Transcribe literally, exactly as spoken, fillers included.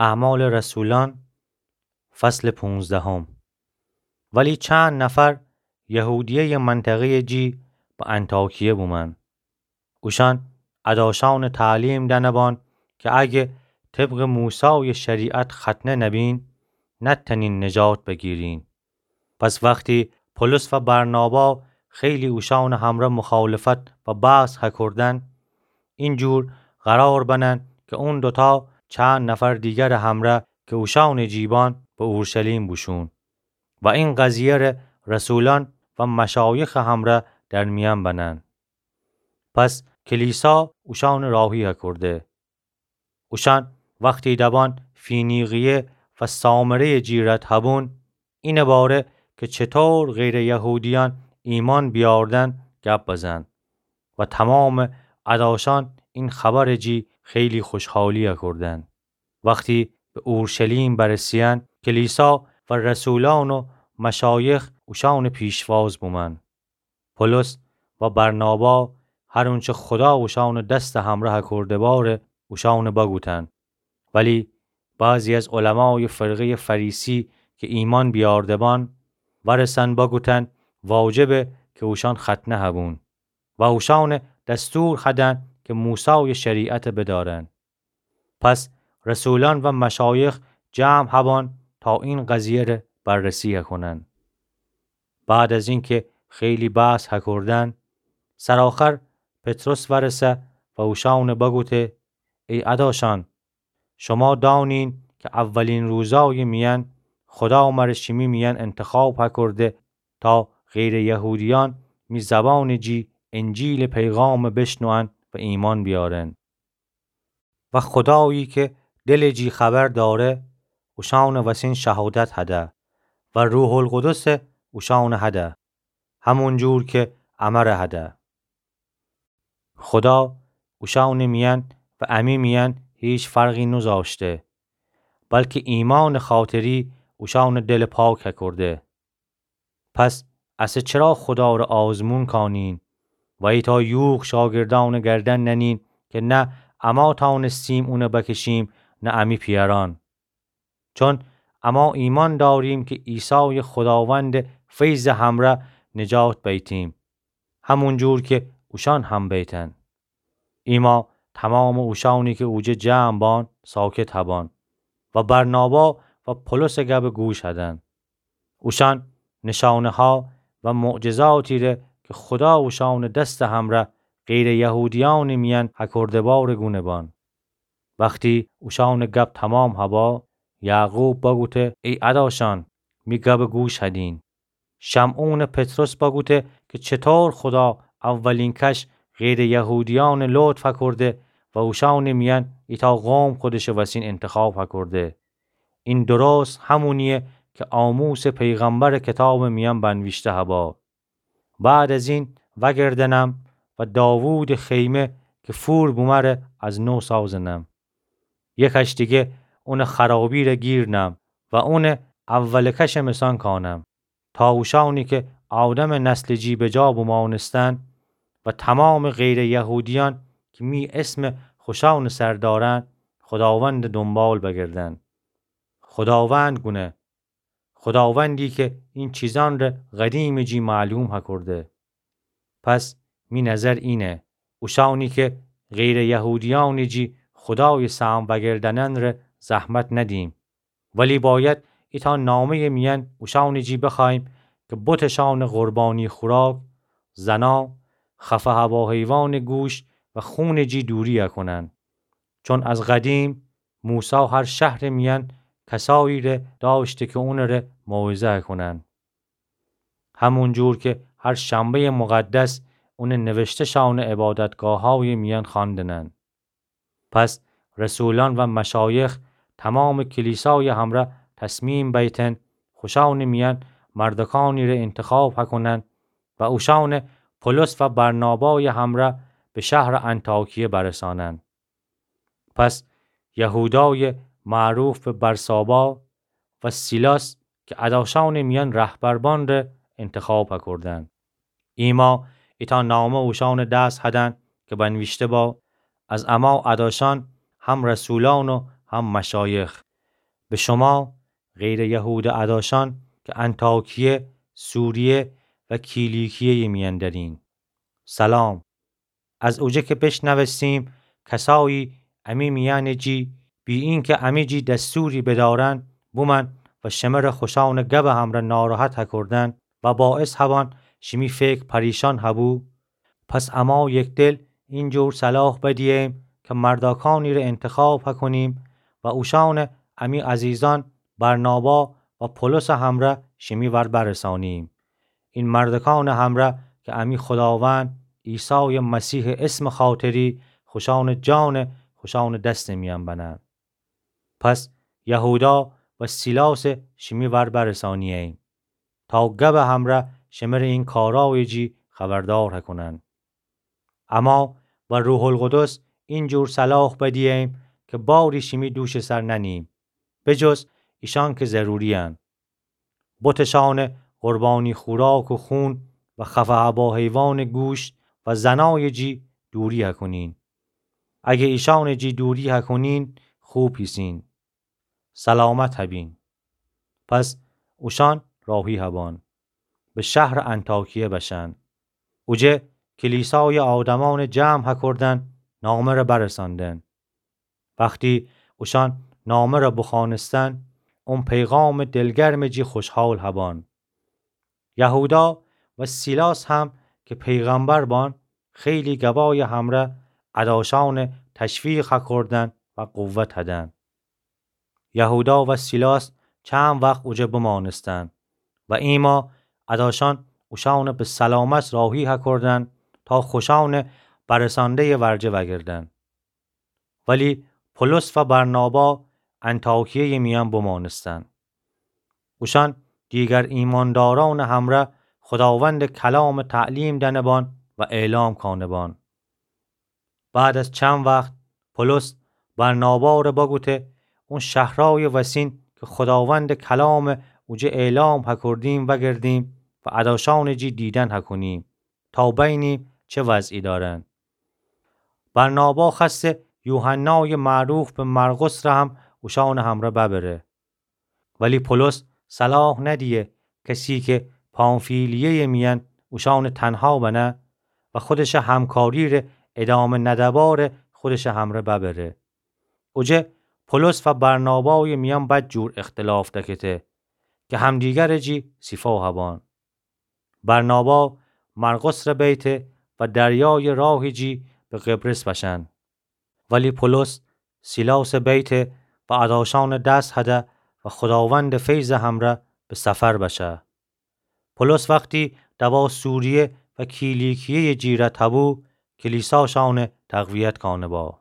اعمال رسولان، فصل پونزدهم. ولی چند نفر یهودیهٔ منطقهٔ جی به انطاکیه بومن. اوشان اداشان تعلیم دنبان که اگه طبق موسای شریعت ختنه نبین، نتنین نجات بگیرین. پس وقتی پولس و برنابا خیلی اوشان همرا مخالفت و بحث هکردن، اینجور قرار بنن که اون دوتا چند نفر دیگر همرا که اوشان جیبان به اورشلیم بوشون و این قضیه ره رسولان و مشایخ همرا در میان بنن. پس کلیسا اوشان راهی هکرده. اوشان وقتی دبان فینیقیه و سامرهٔ جی رد هبون، اینه باره که چطور غیر یهودیان ایمان بیاردن گپ بزن و تمام اداشان این خبر جی خیلی خوشحالی کردن. وقتی به اورشلیم برسیان، کلیسا و رسولان و مشایخ اوشان پیشواز بومن. پولس و برنابا هر اونچه خدا اوشان دست همراه کرده باره اوشان بگوتن. ولی بعضی از علمای فرقهٔ فریسی که ایمان بیاردبان ورسن بگوتن واجبه که اوشان ختنه هبون و اوشان دستور هدن که موسای شریعت بدارن. پس رسولان و مشایخ جمع هبان تا این قضیه ره بررسی هکنن. بعد از اینکه خیلی بحث هکردن، سرآخر پطرس ورسه و اوشان بگوته: ای اداشان، شما دانین که اولین روزای میان خدا مره شیمی میان انتخاب هکرده تا غیر یهودیان می زبان جی انجیل پیغام بشنوئن و ایمان بیارن. و خدایی که دل جی خبر داره، اوشان وسین شهادت هده و روح القدس اوشان هده، همون جور که امر هده. خدا اوشان میان و امی میان هیچ فرقی نزاشته، بلکه ایمان خاطری اوشان دل پاک هکرده. پس اسه چرا خدا ره آزمون کانین و ایتا یوغ شاگردان گردن ننین که نه اما تانستیم اونه بکشیم، نه امی پیران؟ چون اما ایمان داریم که عیسای خداوند فیض همرا نجات بیتیم، همون جور که اوشان هم بیتن. ایما تمام اوشانی که اوجه جمع بان ساکت هبان و برنابا و پولس گب گوش هدن. اوشان نشانه ها و معجزاتی ره که خدا اوشان دست همرا غیر یهودیان میان هکرده باره گونه بان. وقتی اوشان گب تمام هبا، یعقوب بگوته: ای اداشان، می گب گوش هدین. شمعون پطرس بگوته که چطور خدا اولین کش غیر یهودیان لطف هکرده و اوشان میان ایتا قوم خودش وسین انتخاب هکرده. این درست همونیه که آموس پیغمبر کتاب میان بنویشته هبا: بعد از این وگردنم و داوود خیمه که فور بومه ره از نو سازنم. یکش دیگه اون خرابی ره گیرنم و اون اول کش مسان کانم، تا اوشانی که آدم نسل جی به جا بمانستن و تمام غیر یهودیان که می اسم خوشان سر دارن، خداوند دنبال بگردن. خداوند گونه، خداوندی که این چیزان ره قدیم جی معلوم هکرده. پس می نظر اینه، اوشانی که غیر یهودیان جی خدای سام وگردنن ره زحمت ندیم، ولی باید ایتا نامه میان اوشان جی بخوایم که بتشان قربانی خوراک، زنا، خفه هوا حیوان گوشت و خون جی دوری هکنن. چون از قدیم موسی هر شهر میان کسایی ره داشته که اون ره موعظه هکنن. همون جور که هر شنبهٔ مقدس اون نوشته شان عبادتگاه‌های میان خواندنن. پس رسولان و مشایخ تمام کلیسای همرا تصمیم بیتن خوشان میان مردکانی ره انتخاب هکنن و اوشان پولس و برنابای همرا به شهر انطاکیه برسانن. پس یهودای معروف به برسابا و سیلاس که اداشان میان رهبر بان ره انتخاب هکردن. ایما ایتا نامه اوشان دس هدن که بنویشته با: از اما اداشان هم رسولان و هم مشایخ، به شوما غیرٚ یهوده اداشأن که انطاکیه، سوریه و کیلیکیه‌یٚ میأن دأرین، سلام. از اوجه که بیشنوستیم کسایی امی میأنٚ جی، بی اینکه امی جی دستوری بدأرن، بومأن و شمره خوشأنٚ گبٚ همرأ ناراحت هکردن و باعث هبأن شیمی فکر پریشأن هبو، پس اما یکدل اینجور صلاح بدییم که مردأکأنیره انتخاب هکونیم و اوشأنه امی عزیزأن برنابا و پولسٚ همرأ شیمی ور برسانیم. این مردأکأنٚ همرأ که امی خوداوند عیسایٚ مسیحٚ اسمٚ خاطری خوشأنٚ جانه خوشأنٚ دستٚ میأن بنن. پس یهودا و سیلاسه شیمی ور برسانییم تا گبٚ همرأ شمره این کارأیٚ جی خبردار هکونن. اما و روح‌القدس اینجور صلاح بدییم که باری شیمی دوشٚ سر ننیم، به جز ایشأن که ضروری‌یأن. بتشأنٚ قربانی خوراک و خون و خفه هبا حیوانٚ گوشت و زنأیٚ جی دوری هکونین. اگه ایشأنٚ جی دوری هکونین، خوب هیسین. سلامت هبین. پس اوشأن راهی هبأن. به شهرٚ انطاکیه بشأن. اوجه کلیسایٚ آدمأنٚ جمع هکردن نامه‌ره برسأندن. وختی اوشأن نامه‌ره بخوأنستن، اون پیغامٚ دلگرمٚ جی خوشحال هبأن. یهودا و سیلاس هم که پیغمبر بأن، خیلی گبایٚ همرأ اداشأنه تشویق هکردن و قوت هدن. یهودا و سیلاس چند وخت اوجه بمأنستن و ایما اداشأن اوشأنه به سلامت راهی هکردن تا خوشأنه برسأنده‌یٚ ورجه وأگردن. ولی پولس و برنابا انطاکیه‌یٚ میأن بمأنستن. اوشأن دیگر ایماندارأنٚ همرأ خوداوندٚ کلامٚ تعلیم دأنه بأن و اعلام کأنه بأن. بعد از چند وخت پولس برناباره بگوته اون شهرأیٚ وسین که خوداوندٚ کلامه اوجه اعلام هکردیم وأگردیم و اداشأنٚ جی دیدن هکونیم تا بینیم چه وضعی دأرن. برنابا خوأسته یوحنایٚ معروف به مرقسره هم اوشأنٚ همرأ ببره. ولی پولس صلاح ندیه کسی که پامفیلیه‌یٚ میأن اوشأنه تنها بنه و خودشه همکاریره ادامه نده‌باره خودشه همرأ ببره. اوجه پولس و برنابایٚ میأن بدجور اختلاف دکته که همدیگرٚ جی سیفا هبأن. برنابا مرقسره بیته و دریایٚ راهٚ جی به قبرس بشأن. ولی پولس سیلاسه بیته و اداشأنه دس هده و خوداوندٚ فیضٚ همرأ به سفر بشه. پولس وختی دوا سوریه و کیلیکیه‌یٚ جی رد هبو، کلیساشأنه تقویت کأنه با.